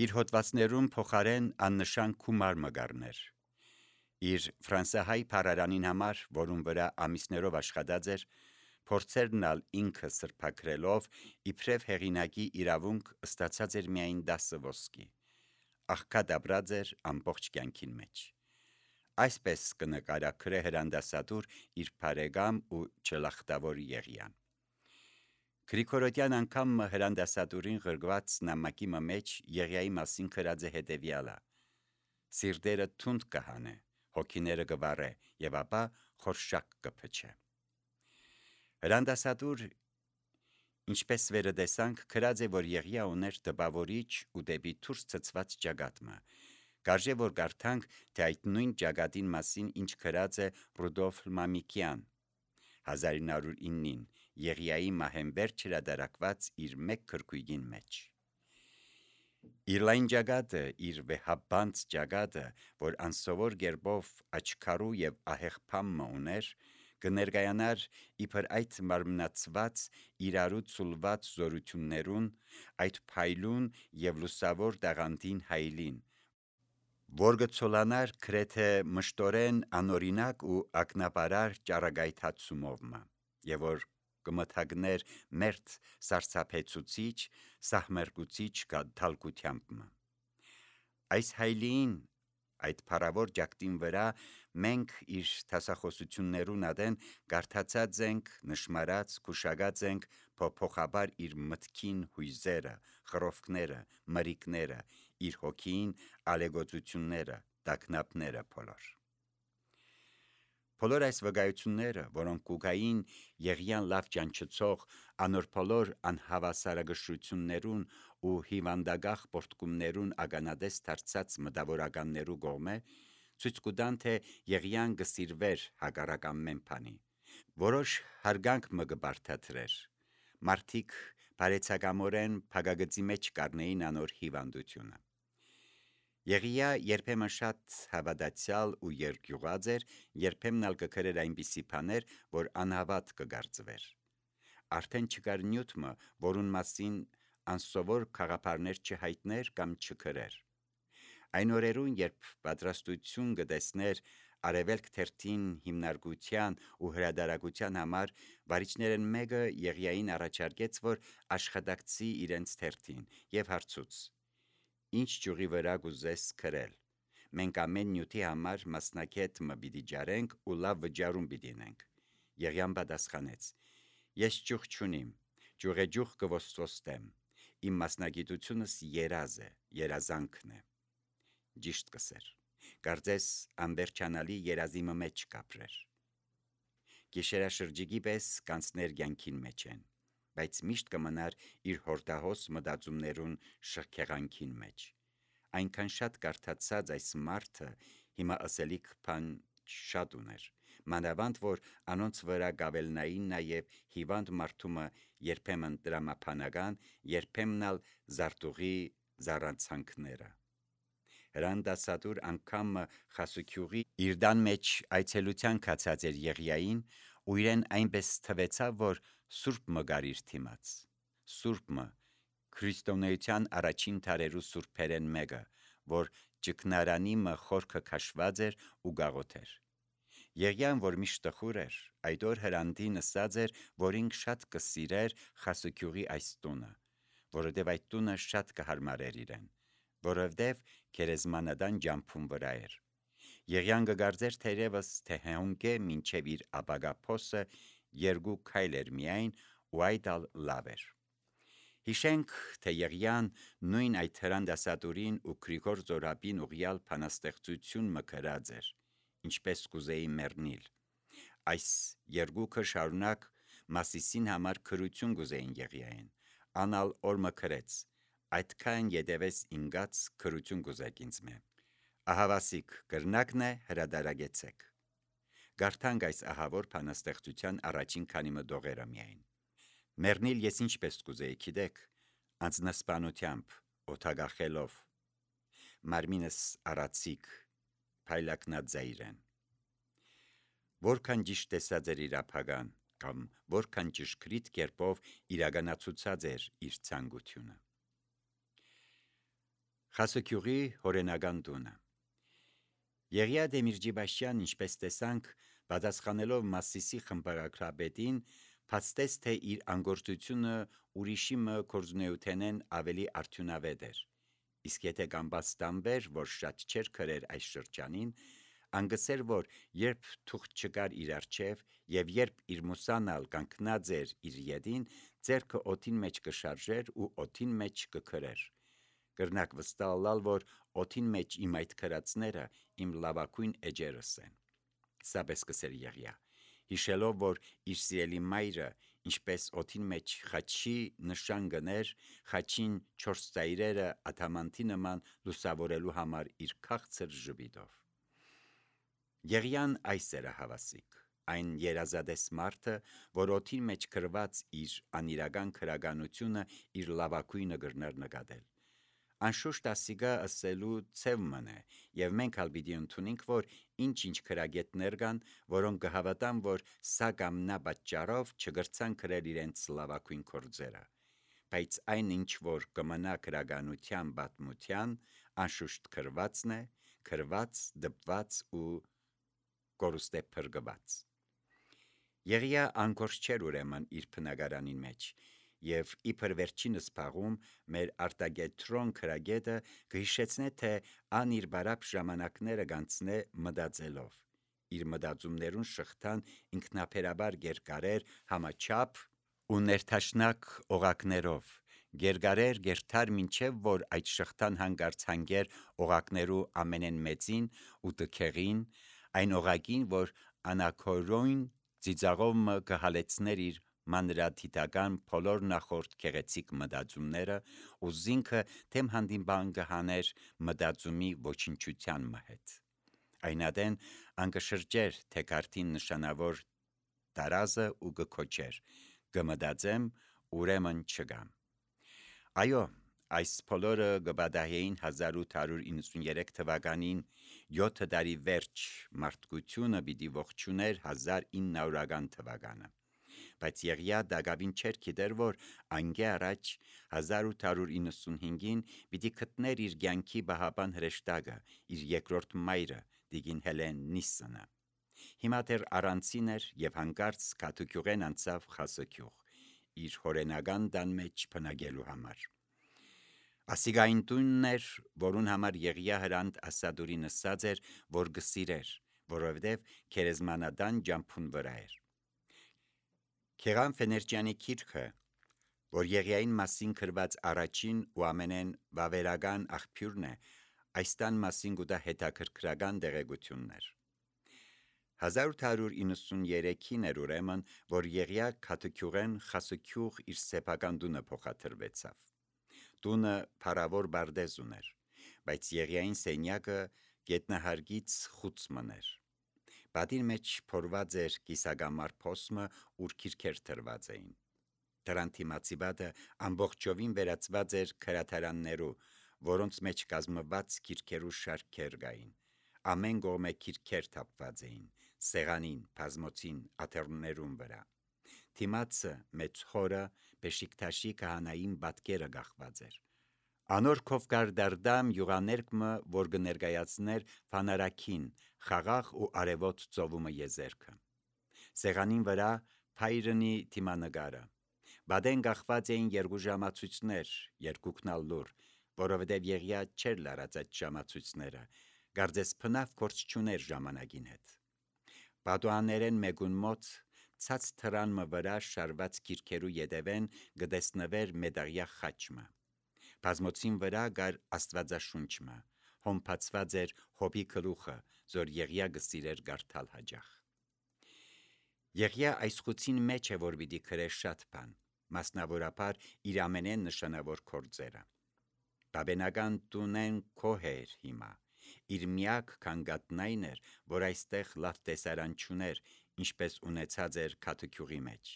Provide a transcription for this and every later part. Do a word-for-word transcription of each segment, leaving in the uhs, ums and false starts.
իր հոդվածներում փոխարեն աննշան գումար մգարներ։ Իր ֆրանսահայ փարարանին համար, որում վրա ամիսներով աշխատած էր, փորձերնալ ինքը սրբակրելով, իբրև հեղինակի իրավունք ստացած էր միայն դասը ոսկի, աղքատ ապրած էր ամբողջ կյանքին մեջ։ Այսպես կնկարագրե հրանդասատուր իր բարեկամ ու չլախտավոր Եղիան։ Գրիգորոդյան անգամ հրանդասատուրին ղրգված նամակի մեջ Եղիայի մասին գրած է հետևյալը. «Սիրտերը թունդ կհանե, հոգիները կվառե, եւ ապա խորշակ կփչե»։ Հրանդասատուր, ինչպես վերը տեսանք, գրած է, որ Եղիա ուներ տպավորիչ ու դեպի դուրս ցցված ճակատը։ Կարժե որ կարդանք, թե այդ նույն ճակատին մասին ինչ գրած է Ռուդոլֆ Մամիկյան հազար ինը հարյուր իննին Եղիայի մահենվերջ հրատարակված իր մեկ գրքույկին մեջ։ Իր լայն ճակատը, իր վեհաբանց ճակատը, որ անսովոր գերբով աչքարու եւ ահեղ փամը ուներ, կներկայանար իբր այդ մարմնացված իրարու ցուլված զորություններուն, այդ փայլուն եւ լուսավոր տաղանդին հայլին, որ կցոլանար գրեթե մշտորեն անօրինակ ու ակնաբարար ճառագայթացումով, եւ որ կմթագներ մերթ սարսափեցուցիչ, սահմերկուցիչ դալկությամբ։ Այս հայլին, այդ փառավոր ճակտին վրա մենք իր դասախոսություններուն ադեն կարդացած ենք, նշմարած, գուշակած ենք փոփոխաբար իր մտքին հույզերը, խռովքները, մրիկները, իր հոգին, ալեգոծությունները, տագնապները բոլոր։ Բոլոր այս վկայությունները, որոնք կուգային Եղիան լավ ճանչծող անոր բոլոր անհավասարակշռություններուն ու հիվանդագաղ պորտկումներուն ականատես դարձած մտավորականներու կողմէ, ցույց կտան, թե Եղիան կսիրվեր հակառակ ամեն բանի, որոշ հարգանք մը կբարդացրեր, մարդիկ բարեցակամորեն փակագծի մեջ կառնեին անոր հիվանդությունը։ Եղիա երբեմն շատ հավատացյալ ու երկյուղած էր, երբեմն ալ կգրեր այնպիսի բաներ, որ անհավատ կգործվեր։ Արդեն չկար նյութ մը, որուն մասին անսովոր գաղափարներ չհայտներ կամ չգրեր։ Այն օրերուն, երբ պատրաստություն կտեսներ Արևելք թերթին հիմնարկության ու հրատարակության համար, վարիչներն մեկը Եղիային առաջարկեց, որ աշխատակցի իրենց թերթին, եւ հարցուց. «Ինչ ճյուղի վրա կուզես գրել։ Մենք ամեն նյութի համար մասնակետ մը պիտի ջարենք ու լավ վճարում պիտի ունենք»։ Եղիան պատասխանեց. «Ես ճյուղ չունիմ, ճյուղեջուղ կոստվոստեմ, իմ մասնագիտությունս երազ է, երազանքն է»։ Ճիշտ կսեր, կարծես անվերջանալի երազի մեջ կապրեր։ Գիշերաշրջիկի պես կանցներ կյանքին մեջ են, բայց միշտ կմնար իր հորդահոս մտածումներուն շքեղանքին մեջ։ Այնքան շատ կարդացած այս մարդը հիմա ասելիք բան շատ ուներ, մանավանդ որ անոնց վրա կավելնային նաև հիվանդ մարդումը երբեմն տրամաբանական, երբեմն ալ զարտուղի զառանցանքները։ Հրանդասատուր անգամ խասուքյուղի իր տան մեջ այցելության կացած էր Եղիային, ու իրեն այնպես թվեցավ, որ սուրբ մը գար իր դիմաց, սուրբ մը, քրիստոնեության առաջին դարերու սուրբերեն մեկը, որ ճգնարանի մը խորքը քաշված էր ու գաղոթեր։ Եղիան, որ միշտ տխուր էր, այդ օր հրանդին ըսած էր, որ ինք շատ կսիրեր խասուքյուղի այս տունը, որովհետև այդ տունը շատ կհարմարեր իրեն, որովհետև գերեզմանատան ջամփուն վրա էր։ Եղիան կգարձեր թերևս, թե հոնգե մինչև իր ապագա փոսը երկու քայլ էր միայն, ու այդ ալ լավ էր։ Հիշենք, թե Եղիան նույն այդ հրանդասատուրին ու Գրիգոր Զորաբին ուղյալ բանաստեղծություն մը գրած էր, ինչպես կուզեի մեռնիլ։ Այս երկուքը շարունակ Մասիսին համար քրություն կուզեին Եղիային, անալ օր մը գրեց. «Այդքան ետևես ինգած քրություն կուզեք ինձ մե»։ Ահավասիկ կրնակն է, հրադարագեցեք։ Գարթանք այս ահավոր բանաստեղծության առաջին քանի մը դողերը միայն։ Մեռնիլ ես ինչպես կուզեի, գիտեք, անձնասպանությամբ, օդագախելով, մարմինս արացիկ, փայլակնաձայրեն։ Որքան ճիշտ տեսած էր իր ապագան, կամ որքան ճշգրիտ կերպով իրականացուցած էր իր ցանկությունը։ Խասուկյուղի հորենական տունը Եղիա Դեմիրճիբաշյան, ինչպես տեսանք, պատասխանելով Մասիսի խմբագրապետին, փաստեց, թե իր անգործությունը ուրիշի մը կորզունեութենեն ավելի արդյունավետ էր։ Իսկ եթե կամբաց տանվեր, որ շատ չէր քրեր այս շրջանին, անգսեր, որ երբ թուղթ չկար իր առջև եւ երբ իր մուսանալ կանգնած էր իր ետին, ձեռքը օդին մեջ կշարժեր ու օդին մեջ կքրեր։ Կրնակ վստահալ, որ օդին մեջ իմ այդ քրածները իմ լավակույն էջերս են։ Սա պես կսեր Եղիա, հիշելով, որ իր սիրելի մայրը, ինչպես օդին մեջ խաչի նշան գներ, խաչին չորս ծայրերը ադամանտի նման լուսավորելու համար իր քաղցր ժպիտով։ Եղիան այս էր հավասիկ, այն երազադես մարդը, որ օդին մեջ քրված իր անիրական քրագանությունը իր լավակույնը գրներ նկատել։ Անշուշտ ասիգա ասելու ցև մնե, եւ մենք ալ պիտի ընդունենք, որ ինչ-ինչ քրագետներ կան, որոնք կհավատան, որ սա կամ նա պատճառով չգրցան քրել իրենց լավակույն կորձերը, բայց այն ինչ որ կմնա քրագանության պատմության, անշուշտ քրվածն է, քրված, դպված ու կորուստե փրկված։ Եղիա անկորձ չէր ուրեմն իր բնակարանին մեջ, եւ իբր վերջինս փաղում մեր արտագետրոն քրագետը կհիշեցնե, թե ան իր բարապ ժամանակները գանցնե մտածելով, իր մտածումներուն շղթան ինքնաբերաբար գերկարեր համաչափ ու ներթաշնակ օղակներով, գերկարեր գերթար մինչև որ այդ շղթան հանգարց հանգեր օղակներու ամենեն մեծին ու տքեղին, այն օղակին, որ անաքորոյն ծիծաղով մը կհալեցներ իր մանրադիտական բոլոր նախորդ գեղեցիկ մտածումները ու զինքը թեմ հանդիման կհաներ մտածումի ոչնչության մը հետ։ Այնադեն անկշրջեր թեկարտին նշանավոր տարազը ու կքոչեր, կմտածեմ, ուրեմն չգամ։ Այո, այս բոլորը կբադահեին հազար ութ հարյուր իննսունյերեք թվականին յոթ տարի վերջ մարդկությունը պիտի ողջուներ հազար ինը հարյուրական թվականը, բայց Եղիա դակավին չէր գիտեր, որ անգե առաջ հազար ութ հարյուր իննսունհինգին պիտի գտներ իր կյանքի բահապան հրեշտակը, իր երկրորդ մայրը Տիկին Հելեն Նիսսոնը։ Հիմա դեռ առանցին էր եւ հանկարծ Քաթուկյուղեն անցավ Խասուկյուղ, իր հորենական տան մեջ բնակելու համար։ Ասիգային տունն էր, որուն համար Եղիա հրանտ Ասադուրին ասած էր, որ գսիրեր, որովհետև քերեզմանադան ջամփուն վրա էր։ Քեղան Ֆեներճյանի գիրքը, որ Եղիային մասին գրված առաջին ու ամենեն վավերական աղբյուրն է, այս տան մասին գուտա հետաքրքրական տեղեկություններ։ հազար ութ հարյուր իննսունյերեքին էր ուրեմն, որ Եղիա Քաթուկյուղեն Խասուկյուղ իր սեփական տունը փոխադրվեցավ։ Տունը փառավոր բարդեզ ուներ, բայց Եղիային սենյակը գետնահարգից խուց մներ։ Պատին մեջ փորված էր կիսագամար փոսմը, ուր քիրքեր տրված էին։ Դրան դիմացի պատը ամբողջովին վերածված էր քրաթարաններու, որոնց մեջ կազմված քիրքերու շարքեր կային։ Ամեն կողմը քիրքեր թափված էին, սեղանին, բազմոցին, աթոռներուն վրա։ Դիմացը մեծ խորը Բեշիկթաշի քահանային պատկերը գախված էր։ Անոր քովկար դարդամ յուղաներկմը, որ կներկայացներ ֆանարակին, խաղաղ ու արևոտ ծովումը եզերքը։ Սեղանին վրա փայրնի թիմանկարը։ Բադեն գախված էին երկու ժամացույցներ, երկուքնալ լուր, որովհետև Եղիա չէր լարած այդ ժամացույցները, գարձես փնավ կորց չուներ ժամանակին հետ։ Պատուաներեն մեկուն մոտ ցած թրան մը վրա շարված քիրքերու ետևեն գտեսնվեր մեդաղյա խաչմը։ Բազմոցին վրա գար աստվածաշունչմը, հոմփացված էր հոբի գլուխը, զոր Եղիա գսիրեր գարթալ հաջախ։ Եղիա այս խուցին մեջ է, որ պիտի քրեր շատ բան, մասնավորապես իր ամենեն նշանավոր կորձերը։ Բաբենական տունեն քոհ էր հիմա։ Իր միակ քանգատն այն էր, որ այստեղ լավ տեսարան չուներ, ինչպես ունեցած էր Քաթուկյուղի մեջ,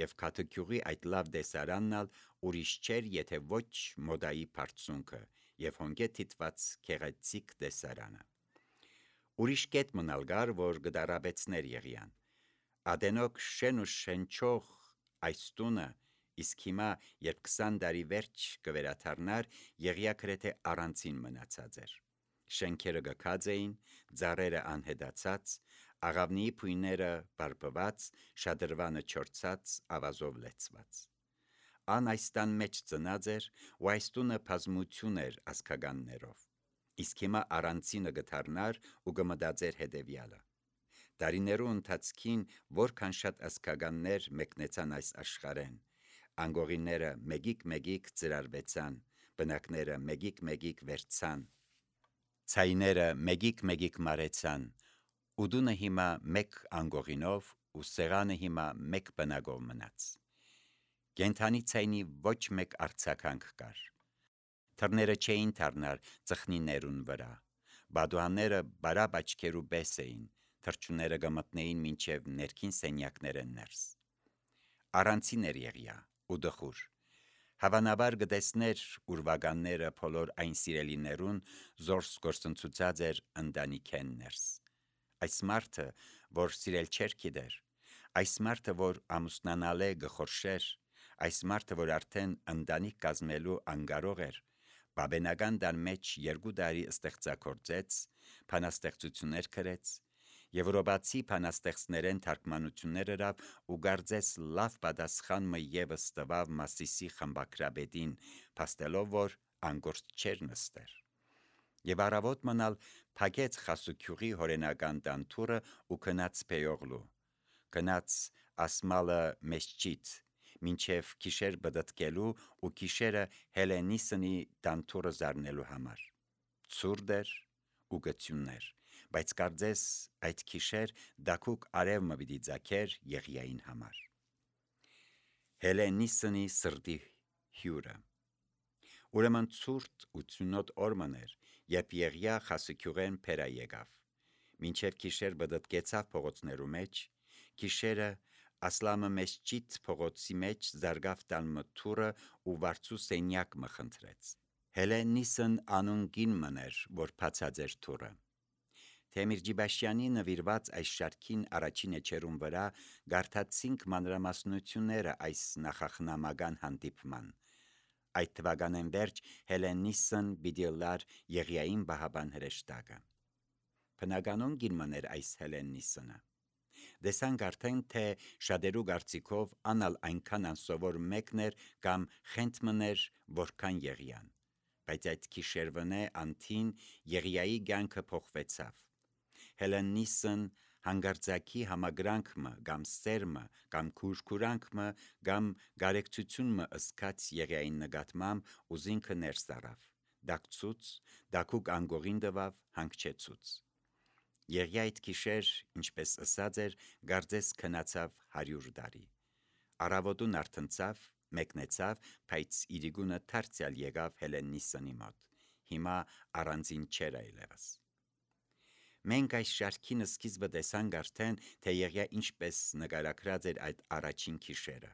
եւ Քաթուկյուղի այդ լավ տեսարանն ալ ուրիշ չէր, եթե ոչ մոդայի բարձունքը եւ հոնգե թիտված քեղեցիկ տեսարանը։ Ուրիշ կետ մնալ գար, որ գդարաբեցներ Եղիան։ Ադենոք շեն ու շենչող այս տունը իսկ հիմա, երբ քսան տարի վերջ կվերաթարնար, Եղիա գրեթե առանցին մնացած էր։ Շենքերը գքած էին, ծառերը անհետացած, աղավնիի փույները բարբված, շադրվանը չորցած, ավազով լեցված։ Ան այս տան մեջ ծնած էր, ու այս տունը բազմություն էր ազգականներով։ Իսկ հիմա առանցինը գթարնար ու կմտածեր հետևյալը. Տարիներու ընթացքին որքան շատ ազգականներ մեկնեցան այս աշխարհեն, անգողիները մեգիկ-մեգիկ ծրարվեցան, բնակները մեգիկ-մեգիկ վերցան, ցայները մեգիկ-մեգիկ մարեցան, ու դունը հիմա մեկ անգողինով ու սեղանը հիմա մեկ բնակով մնաց։ Կենթանի ցայնի ոչ մեկ արձագանք կար։ Թռները չէին թռնար ծխնիներուն վրա, բադուհանները բարապ աչքերու պես էին, թռչունները գմտնեին մինչև ներքին սենյակները ներս։ Առանցին էր Եղիա ու դխուր։ Հավանաբար գտեսներ ուրվականները բոլոր այն սիրելիներուն զորս գործընծուցած էր ընտանիքեն ներս։ Այս մարդը, որ սիրել չէր գիտեր, այս մարդը, որ ամուսնանալ է գխորշեր, այս մարդը, որ արդեն ընտանիք կազմելու անկարող էր, բաբենական տան մեջ երկու տարի ստեղծագործեց, բանաստեղծություններ գրեց, եվրոպացի բանաստեղծներեն թարգմանություններ գրավ ու գարձեց լավ պատասխան մը ևս տվավ Մասիսի խմբակրապետին, փաստելով, որ անգործ չէր նստեր։ Եվ առավոտ մնալ փակեց խասուքյուղի հորենական տանտուրը ու գնաց Բեյողլու, գնաց ասմալը Մեսջիդ, մինչև գիշեր բդտկելու ու գիշերը Հելենիսնի տանտուրը զարնելու համար։ Ցուրտ էր ու գծյուններ, բայց կարծես այդ գիշեր դակուկ արևը պիտի ծագեր Եղիային համար։ Հելենիսնի սրտի հյուրը։ Ուրեմն ցուրտ ու ցունոտ օրմներ, երբ Եղիա խասուքյուղեն փերա եկավ, մինչև գիշեր բդտկեցավ փողոցներու մեջ, գիշերը ասլամը Մեսջիդ փողոցի մեջ զարգավ տան մթուրը ու վարձու սենյակ մը խնդրեց։ Հելենիսն անուն գին մներ, որ բացած էր թուրը։ Թեմիր Ջիբաշյանի նվիրված այս շարքին առաջին էջերուն վրա գարթացինք մանրամասնությունները այս նախախնամական հանդիպման։ Այդ թվականեն վերջ Հելենիսն պիտի լար Եղիային բահաբան հրեշտակը։ Բնականon գինմներ այս Հելենիսնը։ Դեսանք արդեն, թե շատերու կարծիքով անալ այնքան անսովոր մեկն էր կամ խենթմներ, որքան Եղիան, բայց այդ գիշերվնե անթին Եղիայի կյանքը փոխվեցավ։ Հելենիսն հանգարձակի համագրանքմը կամ սերմը կամ քուրքուրանքմը կամ գարեկցությունմը ըսկաց Եղիային նկատմամբ ու զինքը ներս առավ, դակցուց, դակուկ անգողին տվավ, հանգչեցուց։ Եղիա այդ գիշեր, ինչպես ըսած էր, գարձես քնացավ հարյուր տարի։ Առավոտուն արթնցավ, մեկնեցավ, բայց իրիկունը դարձյալ եկավ Հելենիսնի մոտ։ Հիմա առանձին չէր այլևս։ Մենք այս շարքին սկիզբը տեսանք արդեն, թե Եղիա ինչպես նկարագրած էր այդ առաջին գիշերը։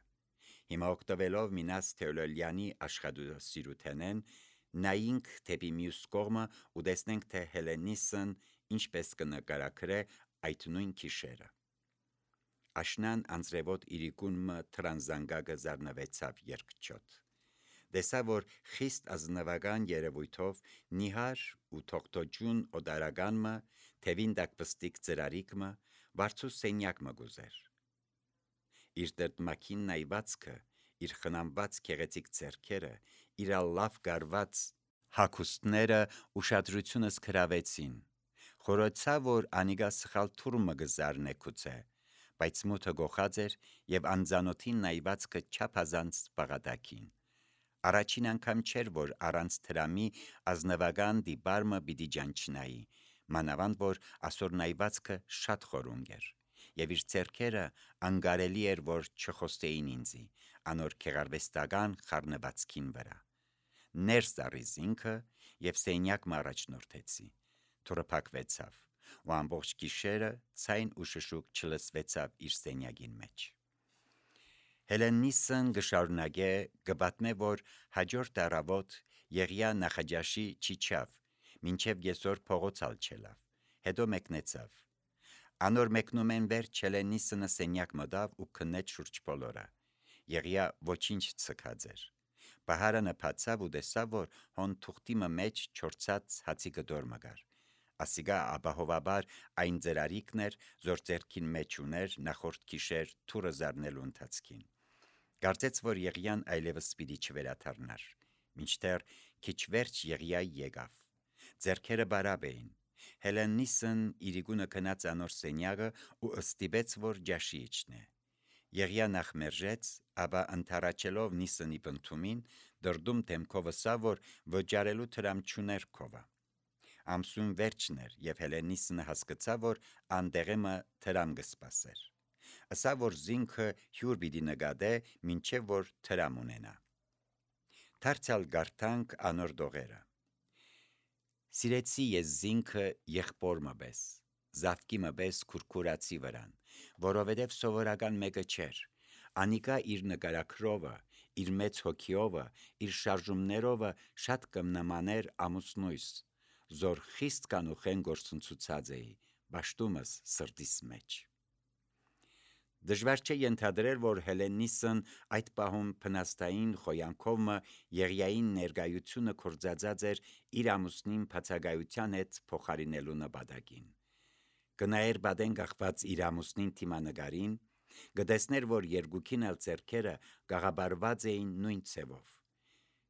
Հիմա օգտվելով Մինաս Թեոլոյանի աշխատասիրութենեն, նայինք դեպի մյուս կողմը ու տեսնենք, թե Հելենիսն ինչպես կնկարագրե այդ նույն գիշերը։ Աշնան անձրևոտ իրիկունը թրանզանգակը զարնվեցավ երկչոտ։ Տեսա, որ խիստ ազնվական երևույթով նիհար ու թողտոջուն օդարականմը, թևին դակպստիկ ծրարիկմը, վարձու սենյակմը գուզեր։ Իր տրտմակին նայվածքը, իր խնամված քեղեցիկ ձեռքերը, իր լավ գարված հագուստները ուշադրությունս գրավեցին։ Խորոցա, որ անիգա սխալ թուրմը գզարնե գուցե, բայց մութը գողած էր եւ անձանոթին նայվածքը չափազանց բաղադակին։ Առաջին անգամ չէր, որ առանց թրամի ազնվական դիբարմը պիտի ջանչնայի, մանավանդ որ ասոր նայվածքը շատ խորունգ էր, եւ իր ձեռքերը անգարելի էր, որ չխոստեին ինձի, անոր քեղարվեստական խառնվածքին վրա։ Ներս առիս ինքը եւ սենյակ մառաջնորդեցի։ Թուրը փակվեցավ, ու ամբողջ գիշերը ցայն ու շշուկ չլսվեցավ իր սենյակին մեջ։ Հելենիսն գշարունակե գբատմե, որ հաջորդ առավոտ Եղիա նախաճաշի չիչավ, մինչև եսօր փողոցալ չելավ, հետո մեկնեցավ։ Անոր մեկնումեն վերջ Հելենիսնը սենյակ մտավ ու քնեց շուրջ բոլորը։ Եղիա ոչինչ ցկած էր։ Բահարը նփացավ ու տեսավ, որ հոն թուղթիմը մեջ չորցած հացի գդոր մգար։ Ասիգա ապահովաբար այն ձերարիկն էր, զոր ձերքին մեջ ուներ նախորդ գիշեր թուրը զարնելու ընթացքին։ Կարծեց, որ Եղիան այլևս պիտի չվերաթարնար, մինչդեռ քիչ վերջ Եղիայի եկավ։ Ձերքերը բարապ էին։ Հելեննիսն իրիկունը քնած անոր սենյակը ու ըստիպեց, որ ջաշի իջնե։ Եղիա նախ մերժեց, ապա ընթառաջելով Նիսնի բնդումին, դրդում դեմքով ասավ, որ վճարելու տրամ չուներ քովա։ Ամսուն վերջն էր, եւ Հելենիսնը հասկացավ, որ անդեղեմը տրամ կսպասեր։ Ասավ, որ զինքը հյուր պիտի նկատե, մինչև որ տրամ ունենա։ Դարձյալ գարտանք անոր դողերը։ Սիրեցի ես զինքը եղբորմը պես, զավկիմը պես քուրքուրացի վրան, որովհետև սովորական մեկը չէր, անիկա իր նկարակրովը, իր մեծ հոգիովը, իր շարժումներովը շատ կմնամաներ ամուսնույս, զոր խիստ կանուխեն գործընծուցած էի, բաշտումս սրտիս մեջ։ Դժվար չէ ենթադրել, որ Հելեննիսն այդ պահում փնաստային խոյանքովը Եղիային ներկայությունը կործածած էր իր ամուսնին բացակայության հետ փոխարինելու նպատակին։ Կնայեր բադեն գախված իր ամուսնին թիմանկարին, կտեսներ, որ երկուքին էլ ձեռքերը գաղաբարված էին նույն ցևով։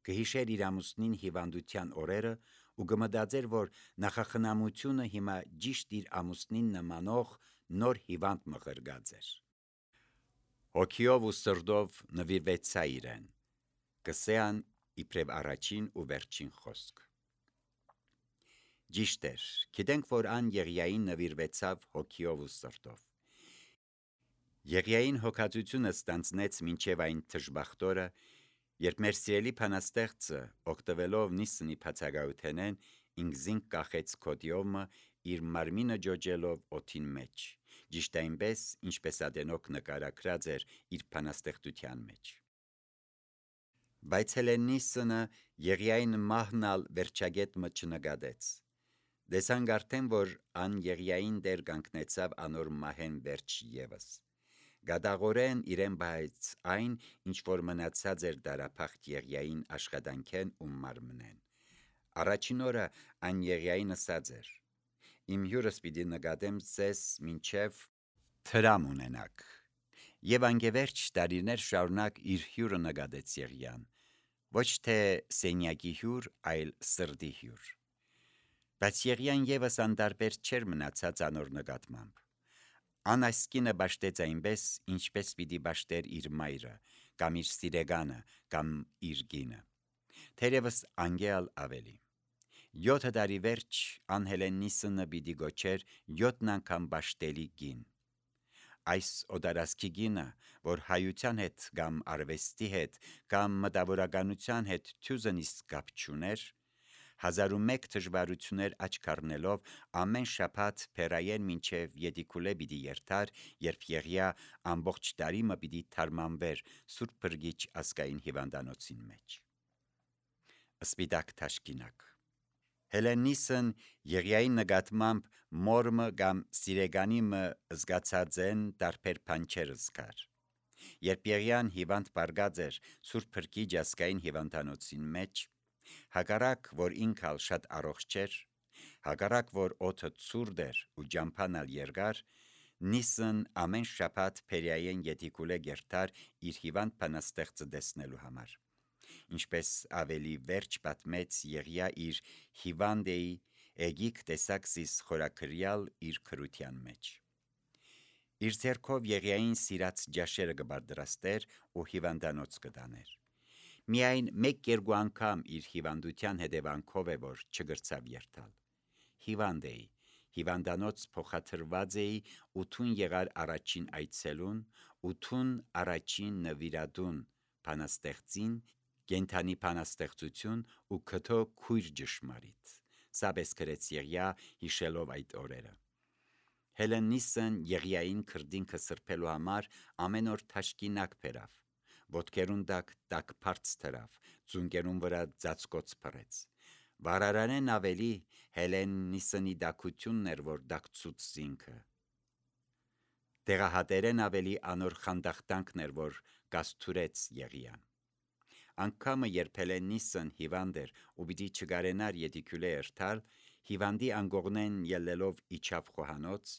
Կհիշեր իր ամուսնին հիվանդության օրերը ու կմտածեր, որ նախախնամությունը հիմա ճիշտ իր ամուսնին նմանող նոր հիվանդ մղրգած էր։ Հոգիով ու սրտով նվիրվեցա իրեն, կսեան իբրև առաջին ու վերջին խոսք։ Ճիշտ էր, գիտենք, որ ան Եղիային նվիրվեցավ հոգիով ու սրտով։ Եղիային հոգածությունը ստանձնեց մինչև այն թշբախտորը, երբ մեր սիրելի փանաստեղծը, օգտվելով Նիսնի բացակայութենեն, ինքզին կախեց կոդիոմը իր մարմինը ջոջելով օդին մեջ, ճիշտ այնպես, ինչպես Ադենոք նկարագրած էր իր փանաստեղծության մեջ։ Բայց Հելեննիսնը Եղիային մահնալ վերջագետը չնկատեց։ Դեսանք արդեն, որ ան Եղիային դեր կանգնեցավ անոր մահեն վերջ ևս։ Գադաղորեն իրեն բայց այն, ինչ որ մնացած էր դարափախտ Եղիային աշխատանքեն ու մարմնեն։ Առաջին օրը ան Եղիային ասած էր. «Իմ հյուրս պիտի նկատեմ ձեզ մինչև տրամ ունենաք»։ Եվ անգևերջ տարիներ շարունակ իր հյուրը նկատեց Եղիան, ոչ թե սենյակի հյուր, այլ սրտի հյուր։ Բայց Եղիան ևս անդարբեր չէր մնացած անոր նկատմամբ։ Ան այս կինը բաշտեց այնպես, ինչպես պիտի բաշտեր իր մայրը, կամ իր սիրեգանը, կամ իր կինը։ Թերևս անգեալ ավելի։ Յոթը տարի վերջ ան Հելեննիսնը պիտի գոչեր յոթն անգամ բաշտելի կին։ Այս օտարասկի կինը, որ հայության հետ կամ արվեստի հետ կամ մտավորականության հետ թյուզնիստ կապ չուներ, հազար ու մեկ դժվարություններ աչք առնելով ամեն շաբաթ փերայեն մինչև Ետիկուլե պիտի երթար, երբ Եղիա ամբողջ տարի մը պիտի թարմանվեր Սուրբ Փրկիչ ազգային հիվանդանոցին մեջ։ Սպիտակ թաշկինակ։ Հելեննիսն Եղիայի նկատմամբ մորմը կամ սիրեգանիմը զգացած են տարբեր բանջեր զգար։ Երբ Եղիան հիվանդ բարգած էր Սուրբ Փրկիչ ազգային հիվանդանոցին մեջ, հակառակ որ ինքալ շատ առողջ էր, հակառակ որ օդը ցուրտ էր ու ջամփանալ երկար, Նիսն ամեն շաբաթ փերիային Ետիկուլե գերտար իր հիվանդ բանաստեղծը տեսնելու համար։ Ինչպես ավելի վերջ պատմեց Եղիա իր հիվանդեի Էգիկ տեսակսիս խորակրյալ իր քրության մեջ։ Իր ձեռքով Եղիային սիրած ջաշերը կբարդրաստեր ու հիվանդանոց կտաներ։ Միայն մեկ-երկու անգամ իր հիվանդության հետևանքով է, որ չգրցավ երթալ։ Հիվանդ էի, հիվանդանոց փոխադրված էի ու թուն եղար առաջին այցելուն, ու թուն առաջին նվիրատուն բանաստեղծին, կենթանի բանաստեղծություն ու քթո քույր ճշմարիտ։ Սա պես գրեց Եղիա հիշելով այդ օրերը։ Հելեննիսն Եղիային քրդինքը սրբելու համար ամեն օր թաշկինակ բերավ, ոտքերուն տակ տաք բարձ թրավ, ծունկերուն վրա ծածկոց փռեց։ Վարարանեն ավելի Հելեննիսնի դակությունն էր, որ դակցուց զինքը։ Տեղահատերեն ավելի անոր խանդախտանքն էր, որ կաստուրեց Եղիան։ Անգամը երբ Հելենիսն հիվանդ էր ու պիտի չգարենար ետիկյուլե երթալ, հիվանդի անգողնեն ելելով իջավ խոհանոց,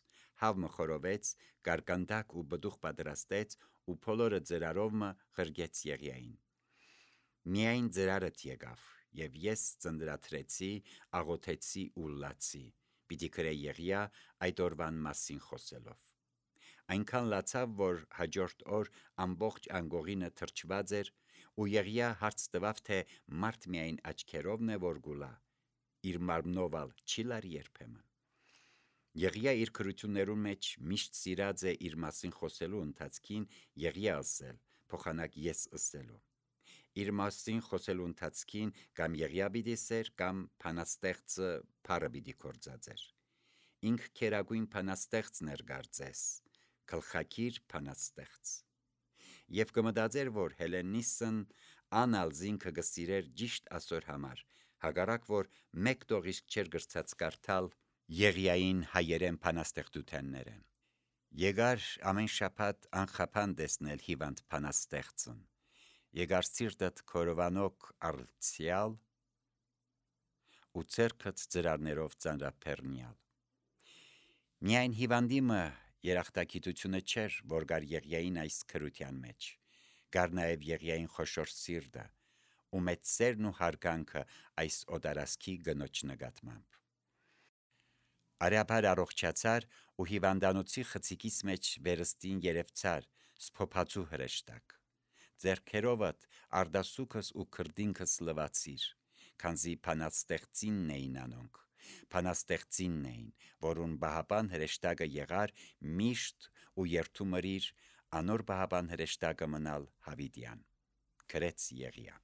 հավը խորովեց, կարկանդակ ու բդուխ պատրաստեց ու փոլորը ձրարովը ղրգեց Եղիային։ Միայն ձրարդ եկավ, եւ ես ծնդրաթրեցի, աղոթեցի ու լացի, պիտի գրե Եղիա այդ օրվան մասին խոսելով։ Այնքան լացավ, որ հաջորդ օր ամբողջ անգողինը թրջված էր, ու Եղիա հարց տվավ, թե մարդ միայն աչքերովն է որ գուլա, իր մարմնովալ չի լար երբեմն։ Եղիա իր քրություններուն մեջ միշտ սիրած է իր մասին խոսելու ընթացքին Եղիա ասել, փոխանակ ես ըսելու։ Իր մասին խոսելու ընթացքին կամ Եղիա պիտի սեր, կամ փանաստեղծը փառը պիտի կործածեր։ Ինք քերագույն փանաստեղծն էր գարձես, գլխակիր փանաստեղծ։ Եվ կմտածեր, որ Հելենիսն անալ զինքը գսիրեր ճիշտ ասոր համար, հակառակ որ մեկ տողիսկ չեր գրծած կարդալ Եղիային հայերեն փանաստեղծութեններեն։ Եկար ամեն շաբաթ անխափան տեսնել հիվանդ փանաստեղծն։ Եկար սիրտդ քորովանոք արցյալ ու ցերքդ ծրարներով ծանրափեռնյալ։ Միայն հիվանդիմը երախտագիտությունը չէր, որ գար Եղիային այս քրության մեջ, գար նաև Եղիային խոշոր սիրտը ու մեծ սերն ու հարգանքը այս օտարասքի գնոջ նկատմամբ։ Արաբար առողջացար ու հիվանդանոցի խցիկից մեջ վերստին երևցար, սփոփածու հրեշտակ։ Ձերքերովդ արդասուքս ու քրդինքս լվացիր, քանզի փանաստեղծինն էին անոնք, փանաստեղծինն էին, որուն բահապան հրեշտակը եղար միշտ ու երթումրիր անոր բահապան հրեշտակը մնալ հավիտյան, գրեց Եղիա։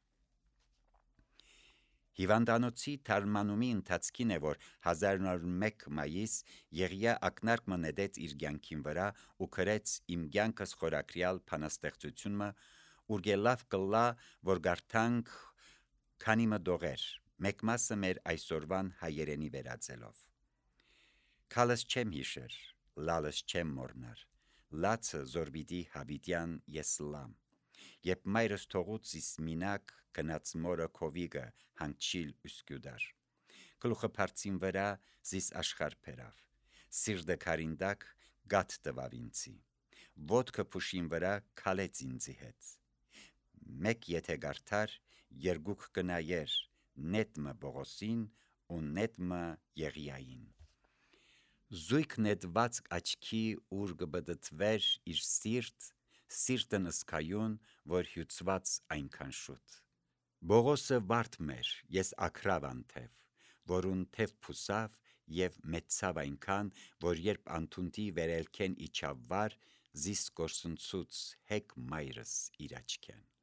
Հիվանդանոցի թարմանումի ընթացքին է, որ հազար նոր մեկ մայիս Եղիա ակնարկ նետեց իր կյանքին վրա ու գրեց իմ կյանքս խորակրյալ փանաստեղծությունը, ուր լավ կլա, որ գարթանք քանի մտողեր, մեկ մասը մեր այսօրվան հայերենի վերածելով։ Քալս չեմ հիշեր, լալս չեմ մորնար, լացը զորբիդի հավիտյան ես լամ, երբ մայրս թողուց իս մինակ գնաց մորը քովիգը հանգչիլ ուսկյուդար, գլուխը փարցին վրա զիս աշխար փերավ, սիրտը քարինդակ գատ տվավ ինձի, ոտքը փուշին վրա քալեց ինձի հետ, մեկ եթե գարթար, երկուք կնայեր, նետմը Բողոսին ու նետմը Եղիային։ Զույգ նետված աչքի ուր կբդդվեր իր սիրտ, սիրտն ըսկայուն, որ հյուծված այնքան շուտ։ Բողոսը վարդ մեր, ես ակրավ անթև, որուն թև փուսավ և մեծավ այնքան, որ երբ անթունտի վերելքեն իջավ վար, զիս կորսնցուց հեկ մայրս իր աչքեն։